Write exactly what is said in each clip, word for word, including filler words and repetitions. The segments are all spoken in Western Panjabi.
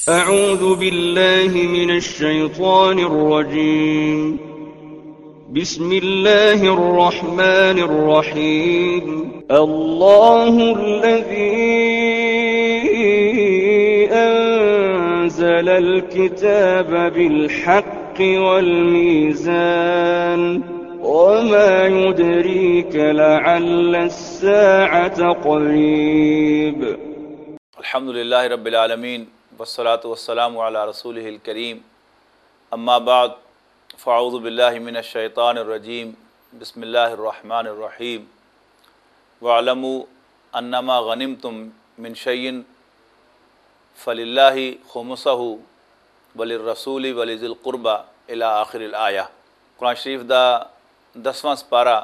أعوذ بالله من الشيطان الرجيم. بسم الله الرحمن الرحيم. الله الذي أنزل الكتاب بالحق والميزان. وما يدريك لعل الساعة قريب. الحمد لله رب العالمين، والصلاة والسلام على رسوله الكريم. أما بعد، فأعوذ بالله من الشيطان الرجيم. بسم الله الرحمن الرحيم. واعلموا أنما غنمتم من شيء فلله خمسه وللرسول ولذي القربى إلى آخر الآية. قرآن شریف دا دسواں سپارہ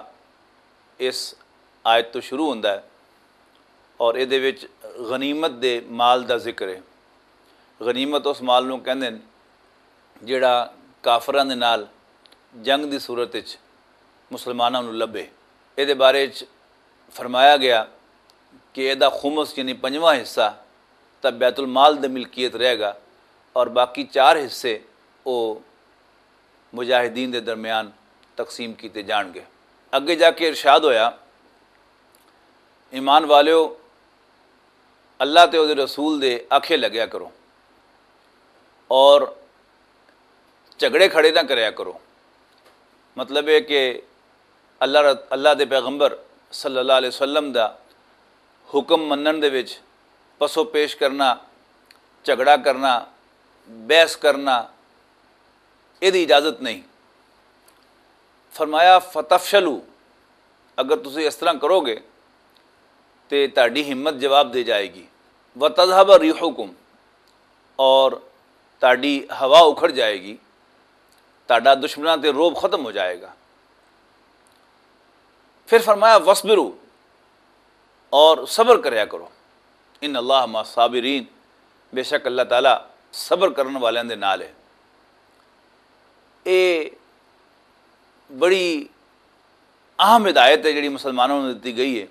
اس آیت تو شروع ہوندا ہے اور اے دے وچ غنیمت دے مال دا ذکر ہے۔ غنیمت اس مال نوں کہندے نے جڑا کافراں دے نال جنگ دی صورت وچ مسلماناں نوں لبھے۔ اے دے بارے وچ فرمایا گیا کہ اے دا خمس یعنی پنجواں حصہ تا بیت المال دے ملکیت رہے گا اور باقی چار حصے او مجاہدین دے درمیان تقسیم کیتے جان گے۔ اگے جا کے ارشاد ہویا، ایمان والیو، اللہ تے اودے رسول دے آکھے لگیا کرو اور جھگڑے کھڑے نہ کریا کرو۔ مطلب ہے کہ اللہ ر-، اللہ دے پیغمبر صلی اللہ علیہ وسلم دا حکم منن دے وچ پسو پیش کرنا، جھگڑا کرنا، بحث کرنا، اے دی اجازت نہیں۔ فرمایا، "فتفشلوا"، اگر تسی اس طرح کرو گے تے تہاڈی ہمت جواب دے جائے گی۔ "وتذهب ريحكم"، اور تہاڈی ہوا اکھڑ جائے گی، تہاڈا دشمناں تے روب ختم ہو جائے گا۔ پھر فرمایا، "واصبروا"، اور صبر کریا کرو۔ "ان اللہ مع الصابرین"، بے شک اللہ تعالیٰ صبر کرن والیاں دے نال ہے۔ اے بڑی اہم ہدایت ہے جڑی مسلمانوں نوں دتی گئی ہے۔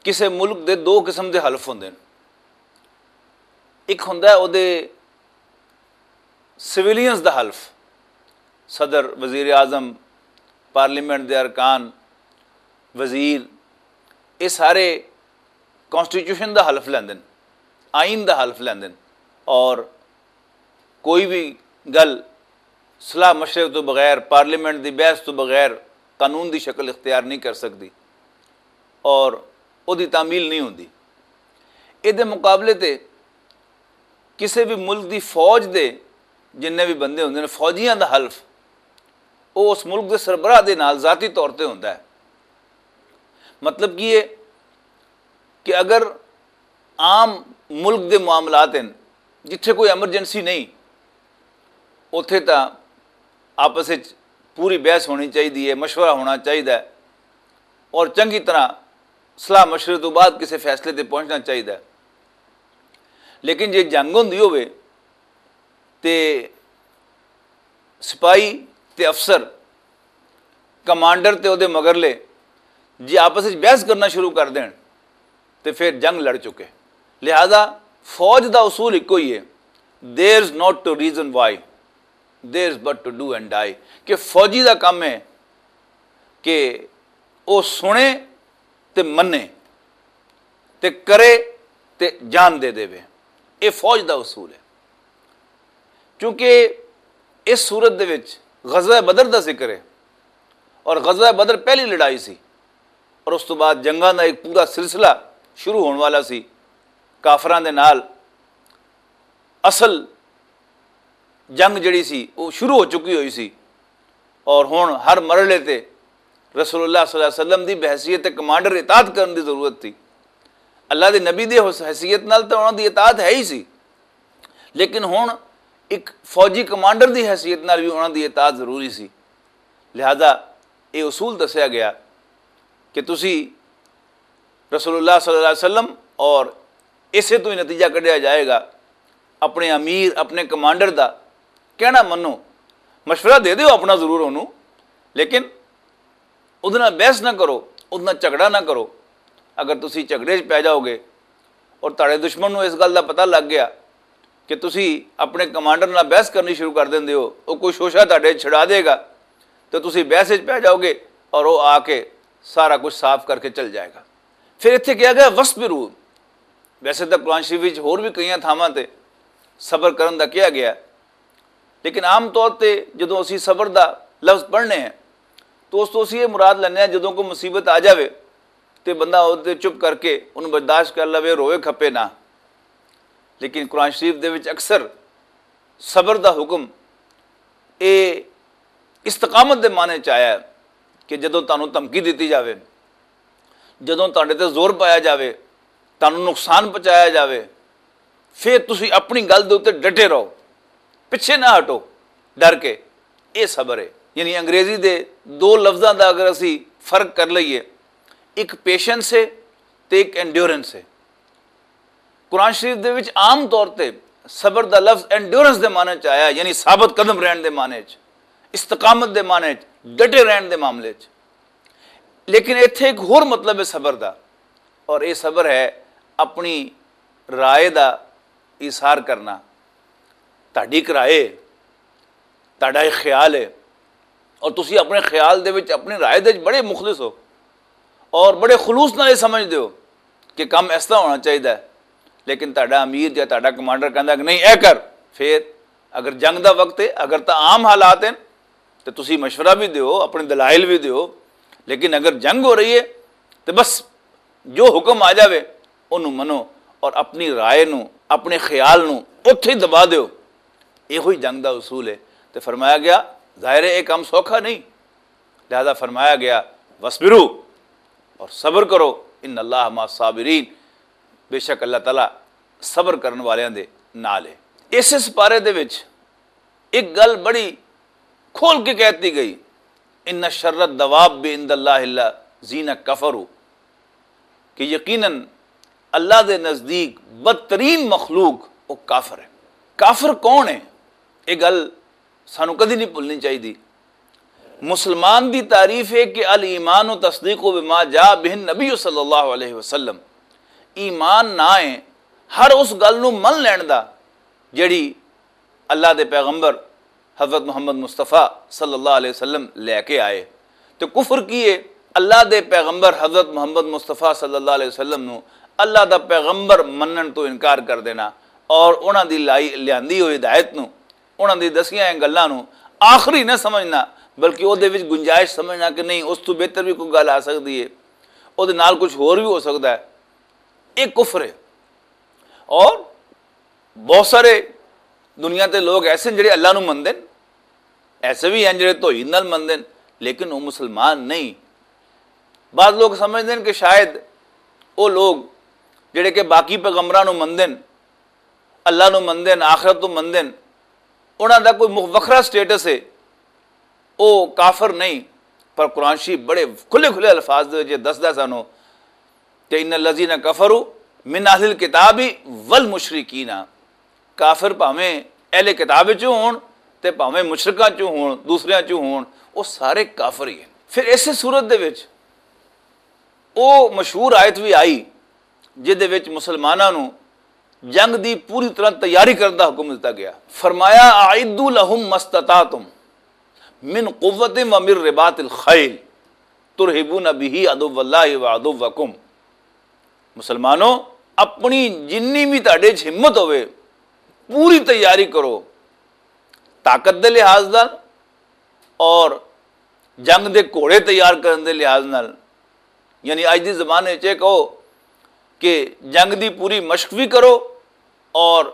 کسے ملک دے دو قسم دے حلف ہوندے نے۔ ایک ہوندا ہے اودے سویلینز دا حلف، صدر، وزیر اعظم، پارلیمنٹ دے ارکان، وزیر، یہ سارے کانسٹیٹیوشن دا حلف لیندے نے، آئین دا حلف لیندے نے، اور کوئی بھی گل صلاح مشورے تو بغیر، پارلیمنٹ دی بحث تو بغیر قانون دی شکل اختیار نہیں کر سکدی اور اودی تعمیل نہیں ہوندی۔ اے دے مقابلے تے کسے بھی ملک دی فوج دے جننے بھی بندے ہوندے نے، فوجیاں دا حلف، او اس ملک دے سربراہ دے نال ذاتی طور تے ہوندا ہے۔ مطلب کی ہے کہ اگر عام ملک دے معاملات ہیں، جتھے کوئی ایمرجنسی نہیں، اتھے تاں آپس وچ پوری بحث ہونی چاہیے، مشورہ ہونا چاہیے اور چنگی طرح صلاح مشورے تو بعد کسی فیصلے تے پہنچنا چاہیے۔ لیکن جے جنگ ہوندی ہوئے تے سپاہی تے افسر، کمانڈر تے اودے مگرلے جے آپس وچ بحث کرنا شروع کر دین تے پھر جنگ لڑ چکے۔ لہذا فوج دا اصول ایک ہی ہے، "There is not to reason why, there is but to do and die"، کہ فوجی دا کم ہے کہ او سنے تے منے تے کرے تے جان دے دے۔ اے فوج دا اصول ہے۔ کیونکہ اس صورت دے وچ غزوہ بدر دا ذکر ہے اور غزوہ بدر پہلی لڑائی سی اور اس تو بعد جنگاں دا ایک پورا سلسلہ شروع ہون والا سی کافراں دے نال۔ اصل جنگ جڑی سی وہ شروع ہو چکی ہوئی سی، اور ہن ہر مرحلے تے رسول اللہ صلی اللہ علیہ وسلم دی بحیثیت کمانڈر اطاعت کرن دی ضرورت تھی۔ اللہ دے نبی دے حس-، حیثیت نال تاں انہاں دی اطاعت ہے ہی سی، لیکن ہن ایک فوجی کمانڈر دی حیثیت نال بھی انہاں دی اطاعت ضروری سی۔ لہذا یہ اصول دسیا گیا کہ تسی رسول اللہ صلی اللہ علیہ وسلم، اور اسے تو ہی نتیجہ کڈیا جائے گا، اپنے امیر، اپنے کمانڈر دا کہنا منو، مشورہ دے دیو اپنا ضرور انہوں، لیکن ادنا بحث نہ کرو، ادنا جھگڑا نہ کرو۔ اگر تسی جھگڑے چ پی جاؤ گے اور تہاڈے دشمن نو اس گل دا پتہ لگ گیا کہ تسی اپنے کمانڈر نال بحث کرنی شروع کر دیندے ہو، وہ کوئی شوشہ تہاڈے چھڑا دے گا، تو تسی بحث وچ پہ جاؤ گے اور وہ آ کے سارا کچھ صاف کر کے چل جائے گا۔ پھر اتھے کہا گیا، "وَاصْبِرُوا۔" ویسے تو قرآن شریف وچ ہور بھی کئی تھاواں تے صبر کرن دا کہا گیا، لیکن عام طور تے جدوں اسی صبر دا لفظ پڑھنے ہیں تو اس تو اسی یہ مراد لینے ہیں، جدوں کوئی مصیبت آ جاوے تے بندہ او تے چپ کر کے انہوں برداشت کر لوے، روئے کھپے نہ۔ لیکن قرآن شریف دے وچ اکثر صبر دا حکم اے استقامت دے معنی چ آیا ہے کہ جدوں تانوں دھمکی دتی جاوے، جدوں تہاڈے تے زور پایا جاوے، تانوں نقصان پہنچایا جاوے، پھر تسی اپنی گل دے اُتے ڈٹے رہو، پچھے نہ ہٹو، ڈر کے۔ اے صبر ہے۔ یعنی انگریزی دے دو لفظاں دا اگر اسی فرق کر لئیے، ایک پیشنس ہے تے ایک انڈیورنس ہے۔ قرآن شریف دے وچ عام طور تے صبر دا لفظ انڈیورنس دے معنی چ آیا، یعنی ثابت قدم رہن دے معنی چ، استقامت دے معنی چ، ڈٹے رہن دے معاملے چ۔ لیکن ایتھے ایک ہور مطلب ہے صبر دا، اور یہ صبر ہے اپنی رائے دا اظہار کرنا۔ تہاڈی ایک رائے، تہاڈا ایک خیال ہے، اور تسی اپنے خیال دے وچ، اپنی رائے دے وچ بڑے مخلص ہو اور بڑے خلوص نال یہ سمجھدے ہو کہ کم اس طرح ہونا چاہیدا ہے، لیکن تہاڈا امیر یا تہاڈا کمانڈر کہندا کہ نہیں، اے کر، پھر اگر جنگ دا وقت ہے، اگر تاں عام حالات ہیں، تے تسی مشورہ بھی دیو، اپنے دلائل بھی دیو، لیکن اگر جنگ ہو رہی ہے، تے بس جو حکم آ جاوے، انہوں منو، اور اپنی رائے نو، اپنے خیال نو اتھے ہی دبا دیو۔ یہ ہوئی جنگ دا اصول ہے۔ تے فرمایا گیا، ظاہر ہے یہ کام سوکھا نہیں، لہذا فرمایا گیا، "وَاصْبِرُوا"، اور صبر کرو، "ان اللہ مع الصابرین"، بے شک اللہ تعالیٰ صبر کرن والیاں دے نال ہے۔ اس سپارے دے وچ ایک گل بڑی کھول کے کہتی گئی، "ان شر الدواب عند اللہ الذین کفروا"، کہ یقیناً اللہ دے نزدیک بدترین مخلوق وہ کافر ہے۔ کافر کون ہے؟ یہ گل سانو کدی نہیں بھولنی چاہیے۔ مسلمان دی تعریف ہے کہ الایمان و تصدیق و بما جاء بہ النبی صلی اللہ علیہ وسلم، ایمان نہ ہے ہر اس گل نو من لین دا جڑی اللہ دے پیغمبر حضرت محمد مصطفیٰ صلی اللہ علیہ وسلم لے کے آئے۔ تو کفر کی ہے؟ اللہ دے پیغمبر حضرت محمد مصطفیٰ صلی اللہ علیہ وسلم نو اللہ دا پیغمبر منن تو انکار کر دینا، اور انہاں دی لائی لیاندی ہوئی ہدایت نو، انہاں دی دسیاں گلاں نو آخری نہ سمجھنا، بلکہ او دے وچ گنجائش سمجھنا کہ نہیں، اس تو بہتر بھی کوئی گل آ سکدی ہے، او دے نال کچھ ہور بھی ہو سکدا ہے۔ ایک کفر ہے۔ اور بہت سارے دنیا تے لوگ ایسے ہیں جڑے اللہ نو مندے نے، ایسے بھی ہیں جڑے توحید نال مندے نے، لیکن وہ مسلمان نہیں۔ بعض لوگ سمجھدے نے کہ شاید وہ لوگ جڑے کہ باقی پیغمبراں نو مندے نے، اللہ نو مندے نے، آخرت نو مندے نے، انہاں دا کوئی مخ-، وکھرا سٹیٹس ہے، وہ کافر نہیں۔ پر قرآن شریف بڑے کھلے کھلے الفاظ دے وچ دسدا سانو کہ ان الذین کفروا من اہل الکتاب والمشرکین، کافر بھاویں اہل کتاب چوں ہون تے بھاویں مشرکاں چوں ہون، دوسریاں چوں ہون، وہ سارے کافر ہی ہیں۔ پھر اسی صورت دے وچ وہ مشہور آیت بھی آئی جس دے وچ مسلماناں نو جنگ دی پوری طرح تیاری کرن دا حکم دتا گیا۔ فرمایا، "اعدوا لهم ما استطعتم من قوة ومن رباط الخيل ترهبون به عدو الله وعدوكم۔" مسلمانوں، اپنی جنی بھی تہاڈے چ ہمت ہوئے، پوری تیاری کرو، طاقت دے لحاظ نال اور جنگ دے گھوڑے تیار کرن دے لحاظ نال۔ یعنی اج دی زبان وچ یہ کہو کہ جنگ دی پوری مشق بھی کرو اور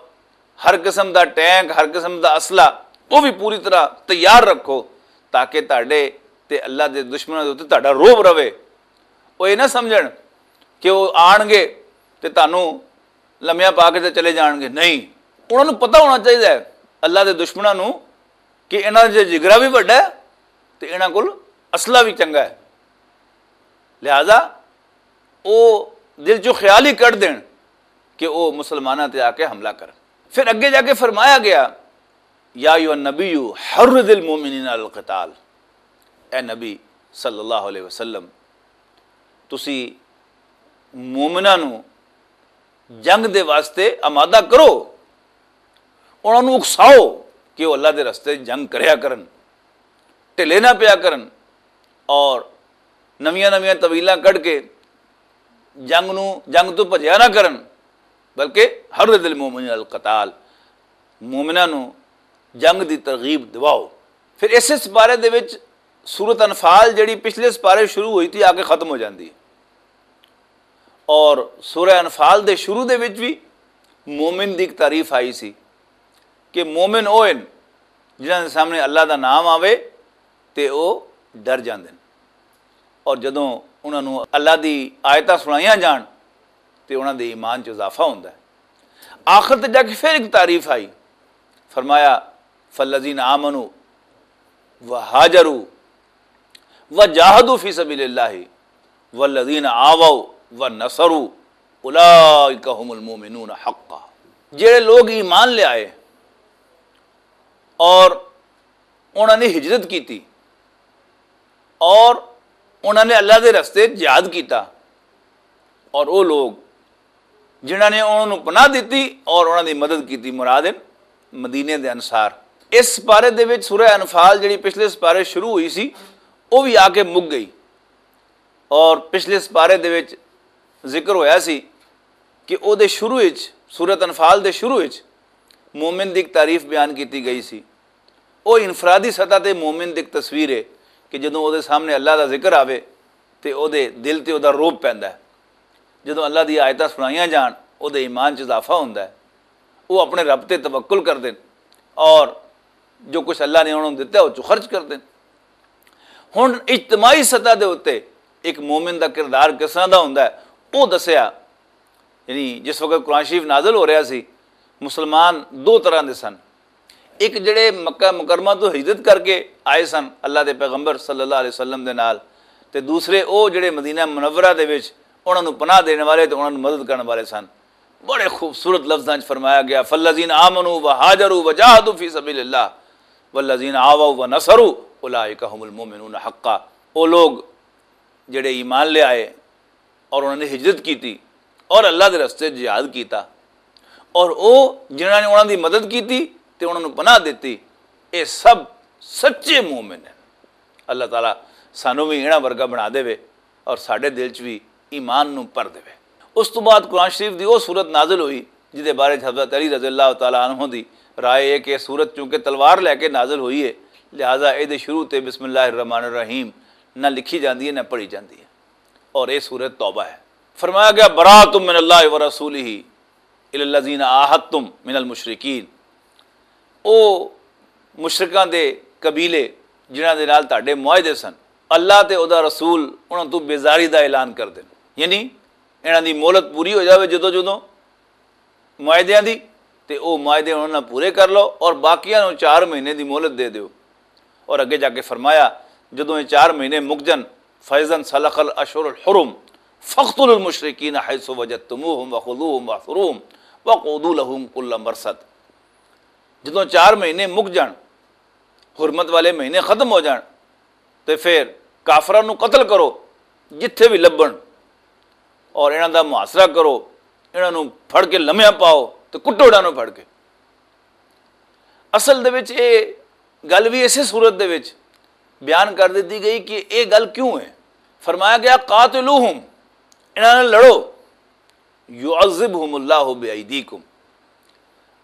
ہر قسم دا ٹینک، ہر قسم دا اسلحہ، وہ بھی پوری طرح تیار رکھو، تاکہ تہاڈے تے اللہ دے دشمناں دے اُتے تہاڈا روب رہے۔ وہ یہ نہ سمجھن کہ وہ آن گے تے تانوں لمیاں پا کے تے چلے جان گے۔ نہیں، انہاں نوں پتہ ہونا چاہیے اللہ دے دشمناں نوں کہ انہاں دا جگرا بھی وڈا ہے تے انہاں کول اسلحہ بھی چنگا ہے۔ لہذا او دل چوں خیال ہی کڈ دین کہ او مسلماناں تے آ کے حملہ کرن۔ پھر اگے جا کے فرمایا گیا، "یا ایھا النبی حرض المؤمنین علی القتال۔" اے نبی صلی اللہ علیہ وسلم، تسی مومناں نوں جنگ دے واسطے آمادہ کرو، انہاں نوں اکساؤ کہ وہ اللہ دے رستے جنگ کریا کرن، ڈھلے نہ پیا کرن، اور نویاں نویاں طویلاں کڈ کے جنگ نوں، جنگ تو بھجیا نہ کرن، بلکہ حرض المومنین القتال، مومناں نوں جنگ دی ترغیب دواؤ۔ پھر اس سپارے دے وچ، سورت انفال جڑی پچھلے سپارے شروع ہوئی تھی، آ کے ختم ہو جاندی ہے۔ اور سورہ انفال دے شروع دے وچ بھی مومن دی ایک تعریف آئی سی کہ مومن او ہن جنہاں دے سامنے اللہ دا نام آوے تے او ڈر جاندے نے، اور جدوں انہاں نوں اللہ دی آیتاں سنائیاں جان تے انہاں دے ایمان چ اضافہ ہوندا ہے۔ آخر تے جا کے پھر ایک تعریف آئی، فرمایا، فالذین آمنوا وہاجروا وجاہدوا فی سبیل اللہ والذین آووا ونصروا اولئک هم المؤمنون حقا۔ جڑے لوگ ایمان لے آئے اور انہاں نے ہجرت کیتی اور انہاں نے اللہ دے رستے جہاد کیتا، اور وہ لوگ جنہاں نے انہاں نوں پناہ دتی اور انہاں دی مدد کیتی، مراد ہن مدینے دے انصار۔ اس سپارے دے وچ سورہ انفال جڑی پچھلے سپارے شروع ہوئی سی، وہ بھی آ کے مک گئی۔ اور پچھلے سپارے دے وچ ذکر ہویا سی کہ او دے شروع وچ، سورۃ انفال دے شروع وچ مومن دی ایک تعریف بیان کیتی گئی سی۔ او انفرادی سطح تے مومن دی ایک تصویر ہے کہ جدوں او دے سامنے اللہ دا ذکر آوے تے او دے دل تے او دا روب پیندا ہے۔ جدوں اللہ دی آیتاں سنائیاں جان، او دے ایمان چ اضافہ ہوندا ہے۔ او اپنے رب تے توکل کردے نے اور جو کچھ اللہ نے انہاں نوں دتا ہے، او چ خرچ کردے نے۔ ہن اجتماعی سطح دے اُتے ایک مومن دا کردار کس طرح دا ہوندا ہے، او دسیا۔ یعنی جس وقت قرآن شریف نازل ہو رہا سی، مسلمان دو طرح دے سن۔ ایک جڑے مکہ مکرمہ تو ہجرت کر کے آئے سن اللہ دے پیغمبر صلی اللہ علیہ وسلم دے نال، تے دوسرے او جڑے مدینہ منورہ دے وچ انہاں نوں پناہ دینے والے تے انہاں نوں مدد کرنے والے سن۔ بڑے خوبصورت لفظاں وچ فرمایا گیا، فالذین آمنوا وہاجروا وجاہدوا فی سبیل اللہ والذین آووا ونصروا اولئک هم المؤمنون حقا۔ او لوگ جڑے ایمان لے آئے اور انہوں نے ہجرت کیتی اور اللہ دے رستے جہاد کیتا، اور او جنہاں نے انہاں دی مدد کیتی تے انہاں نوں پناہ دتی، اے سب سچے مومن ہیں۔ اللہ تعالیٰ سانوں بھی انہاں ورگا بنا دے اور ساڈے دل چ بھی ایمان نوں پر دے۔ اس تو بعد قرآن شریف دی او سورت نازل ہوئی جس دے بارے چ حضرت علی رضی اللہ تعالیٰ عنہ دی رائے ہے کہ سورت چونکہ تلوار لے کے نازل ہوئی ہے، لہذا اے دے شروع تے بسم اللہ الرحمن الرحیم نہ لکھی جاندی ہے نہ پڑھی جاندی ہے۔ اور اے سورت توبہ ہے۔ فرمایا گیا، برات من اللہ ورسولہ الی الذین عاہدتم من المشرکین۔ او مشرکاں دے قبیلے جنہاں دے نال تہاڈے معاہدے سن، اللہ تے او دا رسول انہاں تو بیزاری دا اعلان کر دین، یعنی انہاں دی مہلت پوری ہو جاوے جدوں جدوں معاہدیاں دی، تے او معاہدے انہاں نال پورے کر لو اور باقیاں نوں چار مہینے دی مہلت دے دیو۔ اور اگے جا کے فرمایا، جدوں یہ چار مہینے مک جن، فیضا سلخ الاشہر الحرم فاقتلوا المشرکین حیث وجدتموہم وخذوہم واحصروہم وقعدوا لہم کل مرصد۔ جدوں چار مہینے مک جان، حرمت والے مہینے ختم ہو جان، تے پھر کافراں نوں قتل کرو جتھے بھی لبھن، اور انہاں دا محاصرہ کرو، انہاں نوں پھڑ کے لمیا پاؤ تے کٹو انہاں نوں پھڑ کے۔ اصل دے وچ اے گل وی اسے صورت دے وچ بیان کر دتی گئی کہ اے گل کیوں ہے۔ فرمایا گیا، قاتلوہم، انہاں نال لڑو، یعذبہم اللہ بایدیکم،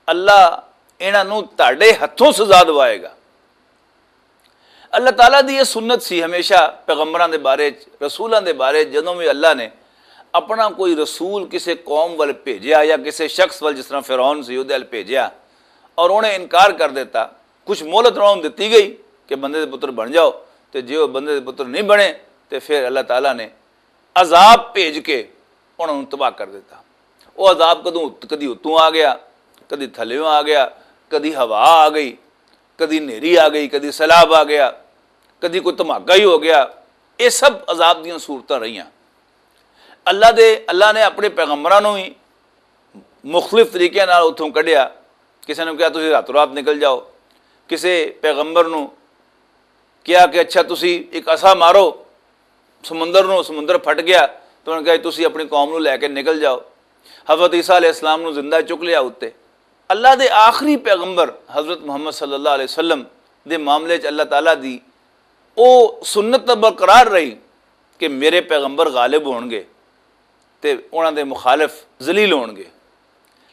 اللہ انہاں نوں تہاڈے ہتھوں سزا دوائے گا۔ اللہ تعالیٰ دی یہ سنت سی، ہمیشہ پیغمبراں دے بارے چ، رسولاں دے بارے چ، جدوں بھی اللہ نے اپنا کوئی رسول کسے قوم ول بھیجیا یا کسے شخص ول، جس طرح فرعون سی، اودے ول بھیجیا اور انہیں انکار کر دیتا، کچھ مہلت انہاں نوں دتی گئی کہ بندے دے پتر بن جاؤ، تے جے وہ بندے دے پتر نہیں بنے، تے پھر اللہ تعالیٰ نے عذاب بھیج کے انہاں نوں تباہ کر دیتا۔ وہ عذاب کدوں، کدی اتوں آ گیا، کدی تھلیوں آ گیا، کدی ہوا آ گئی، کدی نیری آ گئی، کدی سیلاب آ گیا، کدی کوئی دھماکہ ہی ہو گیا۔ یہ سب عذاب دیاں صورتاں رہیاں۔ اللہ دے، اللہ نے اپنے پیغمبراں نوں ہی مختلف طریقے نال اتھوں کڈیا۔ کسے نوں کہیا، "تسی راتوں رات نکل جاؤ۔" کسے پیغمبر نوں کہیا کہ، "اچھا، تسی ایک عصا مارو سمندر نوں، سمندر پھٹ گیا۔" تو انہوں نے کہا، "تسی اپنی قوم نوں لے کے نکل جاؤ۔" حضرت عیسیٰ علیہ السلام نوں زندہ چک لیا اُتے۔ اللہ دے آخری پیغمبر حضرت محمد صلی اللہ علیہ وسلم دے معاملے چ اللہ تعالیٰ دی او سنت برقرار رہی کہ میرے پیغمبر غالب ہون گے تے انہاں دے مخالف ذلیل ہون گے۔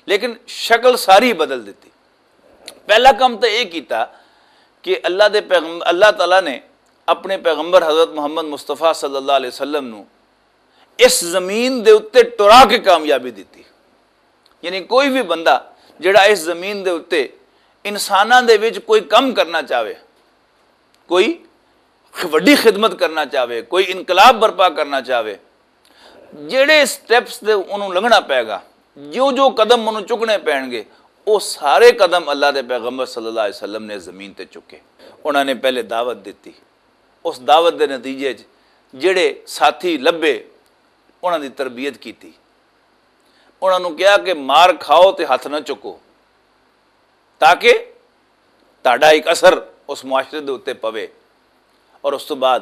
لیکن شکل ساری بدل دتی۔ پہلا کم تو یہ کیتا کہ اللہ دے پیغم-، اللہ تعالیٰ نے اپنے پیغمبر حضرت محمد مصطفیٰ صلی اللہ علیہ وسلم نو اس زمین دے اُتے ٹرا کے کامیابی دتی۔ یعنی کوئی بھی بندہ جڑا اس زمین دے اُتے انساناں دے وچ کوئی کم کرنا چاہے، کوئی وڈی خدمت کرنا چاہے، کوئی انقلاب برپا کرنا چاہے، جڑے سٹیپس دے انہوں لنگھنا پے گا، جو جو قدم انہوں چکنے پین گے، وہ سارے قدم اللہ دے پیغمبر صلی اللہ علیہ وسلم نے زمین تے چکے۔ انہوں نے پہلے دعوت دیتی، اس دعوت دے نتیجے چ جڑے ساتھی لبھے، انہاں دی تربیت کیتی۔ انہاں نوں کہیا کہ مار کھاؤ تے ہتھ نہ چکو، تاکہ تہاڈا ایک اثر اس معاشرے دے اُتے پوے۔ اور اس تو بعد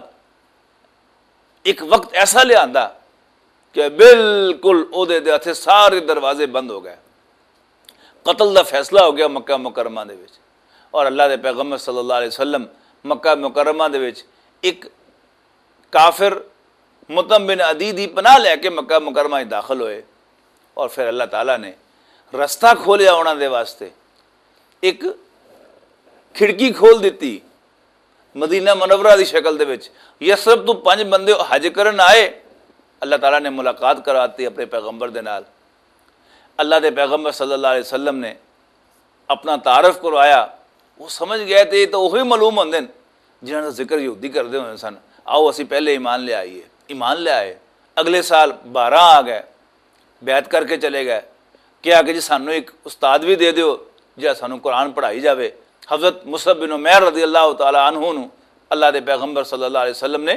ایک وقت ایسا لیا آندا کہ بالکل اودے دے ہتھے سارے دروازے بند ہو گئے، قتل دا فیصلہ ہو گیا مکہ مکرمہ دے وچ۔ اور اللہ دے پیغمبر صلی اللہ علیہ وسلم مکہ مکرمہ دے وچ ایک کافر مطعم بن عدی دی پناہ لے کے مکہ مکرمہ وچ داخل ہوئے، اور پھر اللہ تعالیٰ نے رستہ کھولیا انہاں دے واسطے، ایک کھڑکی کھول دتی مدینہ منورہ دی شکل دے وچ۔ یثرب تو پنج بندے حج کرن آئے، اللہ تعالیٰ نے ملاقات کرواتی اپنے پیغمبر دے نال۔ اللہ دے پیغمبر صلی اللہ علیہ وسلم نے اپنا تعارف کروایا، وہ سمجھ گئے تے یہ تو وہی معلوم ہوندے نے جنہاں دا ذکر یہودی کردے ہوندے سن۔ آؤ اسی پہلے ایمان لے آئیے۔ ایمان لے آئے، اگلے سال بارہ آ گئے، بیعت کر کے چلے گئے۔ کہا کہ جی سانوں ایک استاد بھی دے دیو جہڑا سانوں قرآن پڑھائی جاوے۔ حضرت مصعب بن عمیر رضی اللہ تعالیٰ عنہ نو اللہ دے پیغمبر صلی اللہ علیہ وسلم نے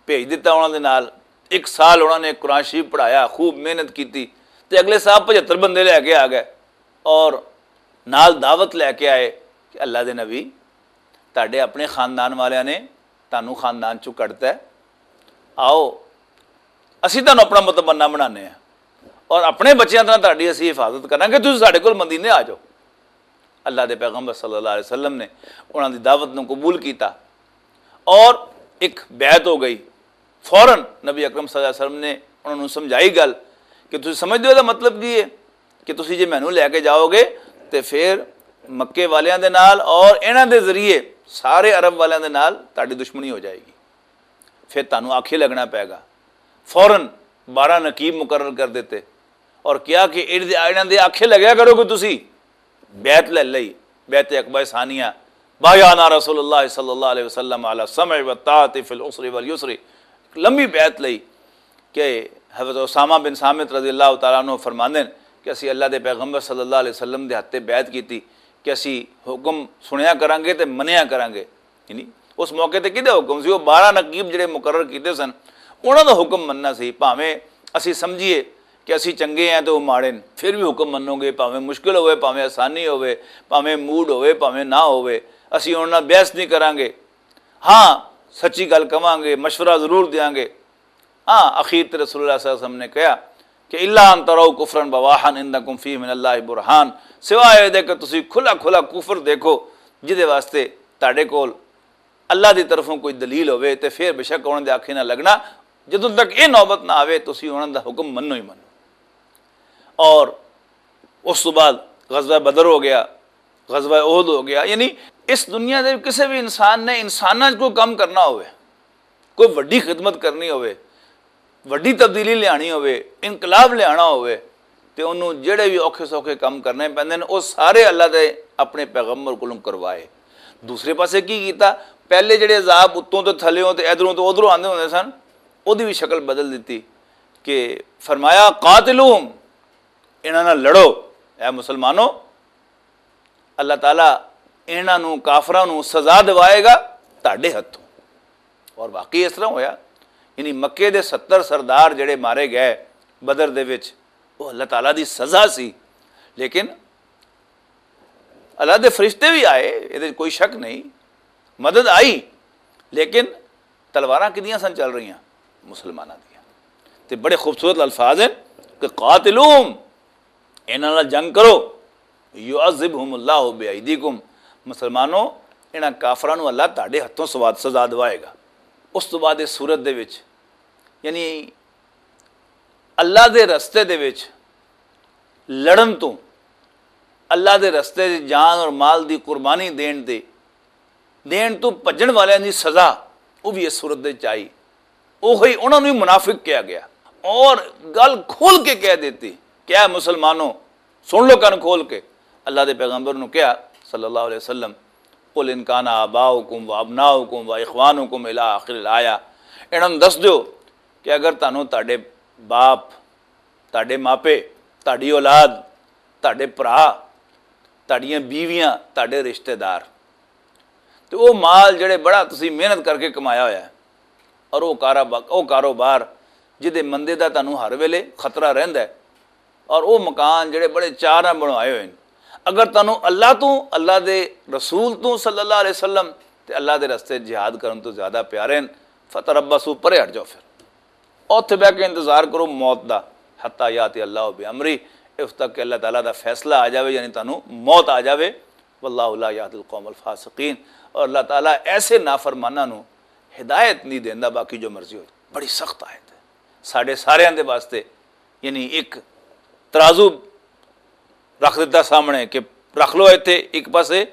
بھیج دتا انہاں دے نال۔ ایک سال انہاں نے قرآن شریف پڑھایا، خوب محنت کیتی، تے اگلے سال پچھتر بندے لے کے آ گئے اور نال دعوت لے کے آئے کہ اللہ دے نبی، تہاڈے اپنے خاندان والیاں نے تانوں خاندان چوں کڈتا ہے، آؤ اسی تانوں اپنا متمنا بنانے ہیں اور اپنے بچیاں طرح تہاڈی اسی حفاظت کرنا کہ تسی ساڈے کول مدینے آ جاؤ۔ اللہ دے پیغمبر صلی اللہ علیہ وسلم نے انہاں دی دعوت نوں قبول کیتا اور ایک بیعت ہو گئی۔ فوراً نبی اکرم صلی اللہ علیہ وسلم نے انہاں نوں سمجھائی گل کہ تسی سمجھ دے ہو دا مطلب کی ہے کہ تسی جے مینوں لے کے جاؤ گے تے پھر مکے والیاں دے نال اور انہاں دے ذریعے سارے عرب والیاں دے نال تہاڈی دشمنی ہو جائے گی، پھر تہانوں آکھے لگنا پے گا۔ فوراً بارہ نقیب مقرر کر دیتے اور کیا کہ انہاں دے آکھے لگیا کرو کہ تسی بیعت لے لئی، بیعت عقبہ ثانیہ، بایعنا رسول اللہ صلی اللہ علیہ وسلم علی السمع والطاعت فی العسر والیسر، ایک لمبی بیعت لئی کہ حضرت اسامہ بن ثابت رضی اللہ تعالیٰ عنہ فرماندے ہیں کہ اسی اللہ دے پیغمبر صلی اللہ علیہ وسلم دے ہتھے بیعت کیتی کہ اسی حکم سنیا کرانگے تے منیا کرانگے۔ یعنی اس موقع تے کدے حکم سی؟ وہ بارہ نقیب جڑے مقرر کیتے سن، انہاں دا حکم مننا سی۔ بھاویں اسی سمجھیے کہ اسی چنگے ہیں تے وہ ماڑے نے، پھر بھی حکم منو گے، بھاویں مشکل ہوئے، بھاویں آسانی ہوئے، بھاویں موڈ ہوئے، بھاویں نہ ہوئے، اسی انہاں نال بحث نہیں کرانگے۔ ہاں، سچی گل کہواں گے، مشورہ ضرور دیاں گے۔ ہاں، اخیر تے رسول اللہ صلی اللہ علیہ وسلم نے کہا کہ الا ان تروا کفرا بواحا عندکم فیہ من اللہ برہان، سوائے دے کہ تسی کھلا کھلا کفر دیکھو جدے واسطے تہاڈے کول اللہ دی طرفوں کوئی دلیل ہوئے تے پھر بے شک انہاں دے آکھے نہ لگنا۔ جدوں تک یہ نوبت نہ آوے تسی انہاں دا حکم منو ہی منو۔ اور اس تو بعد غزوہ بدر ہو گیا، غزوہ احد ہو گیا۔ یعنی اس دنیا دے کسے بھی انسان نے انساناں 'چ کوئی کم کرنا ہوئے، کوئی وڈی خدمت کرنی ہوئے، وڈی تبدیلی لیانی ہوئے، انقلاب لیانا ہوئے، تے انہوں جڑے بھی اوکھے سوکھے کم کرنے پیندے نے، وہ سارے اللہ دے اپنے پیغمبر کولوں کروائے۔ دوسرے پاسے کی کیتا؟ پہلے جڑے عذاب اتوں تے تھلیوں تے ادھروں تے ادھروں آندے ہوندے سن، اودی بھی شکل بدل دتی کہ فرمایا، "قاتلوہم"، انہاں نال لڑو۔ اے مسلمانو، اللہ تعالیٰ انہاں نوں، کافراں نوں سزا دیوائے گا تہاڈے ہتھوں۔ اور واقعی اس طرح ہویا، یعنی مکے دے ستر سردار جڑے مارے گئے بدر دے وچ، وہ اللہ تعالیٰ دی سزا سی۔ لیکن اللہ دے فرشتے بھی آئے، یہ کوئی شک نہیں، مدد آئی، لیکن تلواراں کدیاں سن چل رہیاں؟ مسلماناں دیاں۔ تے بڑے خوبصورت الفاظ ہیں کہ "قاتلوہم"، انہاں نال جنگ کرو۔ یعذبہم اللہ بعیدیکم۔ مسلمانوں، انہاں کافراں نوں اللہ تہاڈے ہتھوں سواد سزا دواوے گا۔ اس تو بعد اس صورت دے وچ، یعنی اللہ دے رستے دے وچ لڑن تو، اللہ دے رستے دے جان اور مال دی قربانی دین دے دین تو بھجن والیاں دی سزا، وہ بھی اس صورت دے چ آئی۔ اوہی انہاں نوں ہی منافق کہا گیا اور گل کھول کے کہہ دیتی کہ اے مسلمانوں، سن لو کن کھول کے۔ اللہ دے پیغمبر نوں کہا، صلی اللہ علیہ وسلم، "قل ان کان آباؤکم و ابناؤکم و اخوانکم الی آخر الآیہ۔" انہاں نوں دس دیو کہ اگر تانوں تہاڈے باپ، تہاڈے ماپے، تہاڈی اولاد، تہاڈے بھرا، تہاڈیاں بیویاں، تہاڈے رشتہ دار، تے او مال جڑے بڑا تسی محنت کر کے کمایا ہویا ہے، اور او کاروبا-، او کاروبار جدے مندے دا تانوں ہر ویلے خطرہ رہندا ہے، اور او مکان جڑے بڑے چار نال بنوائے ہوئے ہیں، اگر تانوں اللہ تو، اللہ دے رسول تو صلی اللہ علیہ وسلم تے اللہ دے رستے جہاد کرن تو زیادہ پیارے ہیں، فتربصوا، پرے ہٹ جاؤ پھر۔ اوتھے بہ کے انتظار کرو موت دا، حتی یاتی اللہ بامری، اس تک کہ اللہ تعالیٰ دا فیصلہ آ جاوے، یعنی تانوں موت آ جاوے۔ واللہ لا یہدی القوم الفاسقین، اور اللہ تعالیٰ ایسے نافرماناں نوں ہدایت نہیں دیندا، باقی جو مرضی ہو۔ بڑی سخت آیت ہے ساڈے ساریاں دے واسطے، یعنی ایک ترازو رکھ دتا سامنے کہ رکھ لو ایتھے ایک پاسے،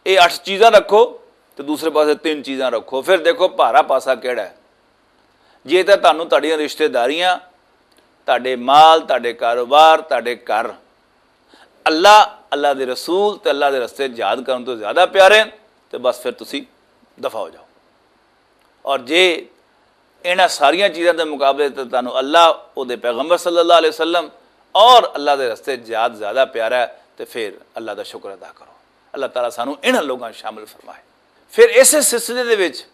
اے اٹھ چیزاں رکھو تے دوسرے پاسے تین چیزاں رکھو، پھر دیکھو بھارا پاسا کیڑا ہے۔ جے تے تانوں تہاڈیاں رشتہ داریاں، تہاڈے مال، تہاڈے کاروبار، تہاڈے گھر، اللہ، اللہ دے رسول تے اللہ دے رستے جہاد کرن تو زیادہ پیارے ہیں، تے بس پھر تسی دفع ہو جاؤ۔ اور جے انہاں ساریاں چیزاں دے مقابلے تے تانوں اللہ، او دے پیغمبر صلی اللہ علیہ وسلم اور اللہ دے رستے جہاد زیادہ پیارا ہے، تے پھر اللہ دا شکر ادا کرو۔ اللہ تعالیٰ سانوں انہاں لوگاں شامل فرمائے۔ پھر اسے سلسلے دے وچ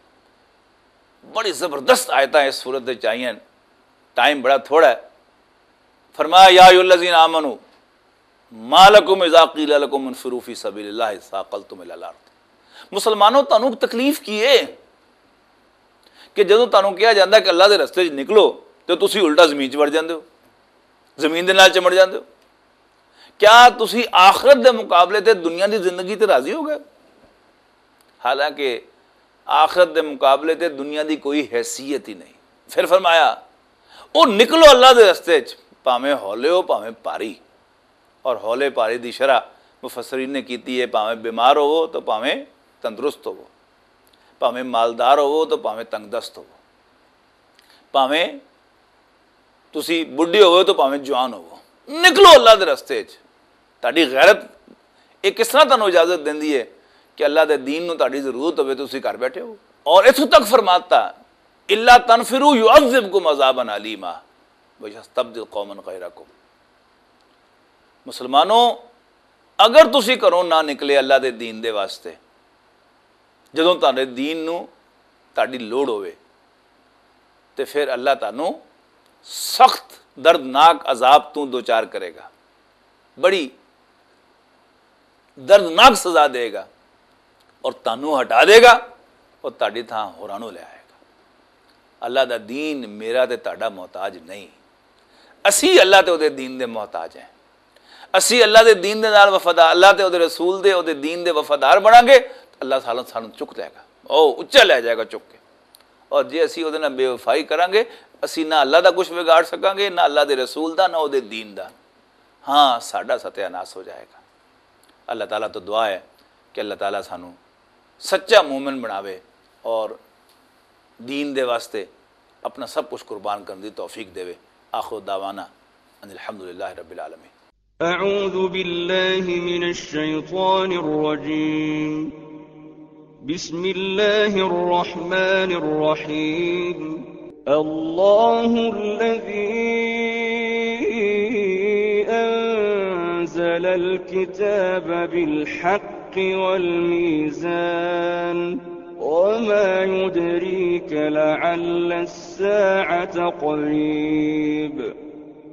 بڑی زبردست آیتاں اس صورت دے چ آئیاں، ٹائم بڑا تھوڑا ہے۔ فرمایا، یا ایھا الذین آمنو ما لکم اذا قیل لکم انفروا فی سبیل اللہ اثاقلتم الی الارض۔ مسلمانوں، تانوں تکلیف کی ہے کہ جدوں تانوں کہا جاندا ہے کہ اللہ دے رستے وچ نکلو، تے تسی الٹا زمین چ وڑ جاندے ہو، زمین دے نال چمڑ جاندے ہو؟ کیا تسی آخرت دے مقابلے تے دنیا دی زندگی تے راضی ہو گئے؟ حالانکہ آخرت دے مقابلے تے دنیا دی کوئی حیثیت ہی نہیں۔ پھر فرمایا، او نکلو اللہ دے رستے چ، پاویں ہولے ہو، پاویں پاری۔ اور ہولے پاری دی شرح مفسرین نے کیتی ہے، پاویں بیمار ہوو تو پاویں تندرست ہوو، پاویں مالدار ہوو تو پاویں تنگ دست ہوو، پاویں تسی بڈھے ہوو تو پاویں جوان ہوو، نکلو اللہ دے رستے چ۔ تہاڈی غیرت یہ کس طرح تانوں اجازت دیندی ہے کہ اللہ دے دین نو تہاڈی ضرورت ہوے، تسی گھر بیٹھے ہو؟ اور اتھوں تک فرماتا، الا تنفروا یعذبکم عذابا الیما ویستبدل قوما غیرکم۔ مسلمانوں، اگر تسی گھروں نہ نکلے اللہ دے دین دے واسطے، جدوں تہاڈے دین نو تہاڈی لوڑ ہوے، تے پھر اللہ تہانوں سخت دردناک عذاب تو دوچار کرے گا، بڑی دردناک سزا دے گا، اور تہانوں ہٹا دے گا، اور تہاڈی تھاں ہوراں نوں لے آئے گا۔ اللہ دا دین میرا تے تہاڈا محتاج نہیں۔ اسی اللہ تے اودے دین دے محتاج ہیں۔ اسی اللہ دے دین دے نال وفادار، اللہ تے اودے رسول دے، اودے دین دے وفادار بناں گے، اللہ سانوں، سانوں چک لے گا، او اچا لے جائے گا چک کے۔ اور جے اسی اودے نال بے وفائی کراں گے، اسی نہ اللہ دا کچھ بگاڑ سکاں گے، نہ اللہ دے رسول دا، نہ اودے دین دا۔ ہاں، ساڈا ستیاناس ہو جائے گا۔ اللہ تعالیٰ تو دعا ہے کہ اللہ تعالیٰ سانوں سچا مومن بناوے اور دین دے واسطے اپنا سب کچھ قربان کرنے دی توفیق دے۔ آخر دعوانا ان الحمدللہ رب العالمین۔ أعوذ بالله من الشيطان الرجيم. بسم الله الرحمن الرحيم. الله الذي أنزل الكتاب بالحق والميزان. وما يدريك لعل الساعة قريب.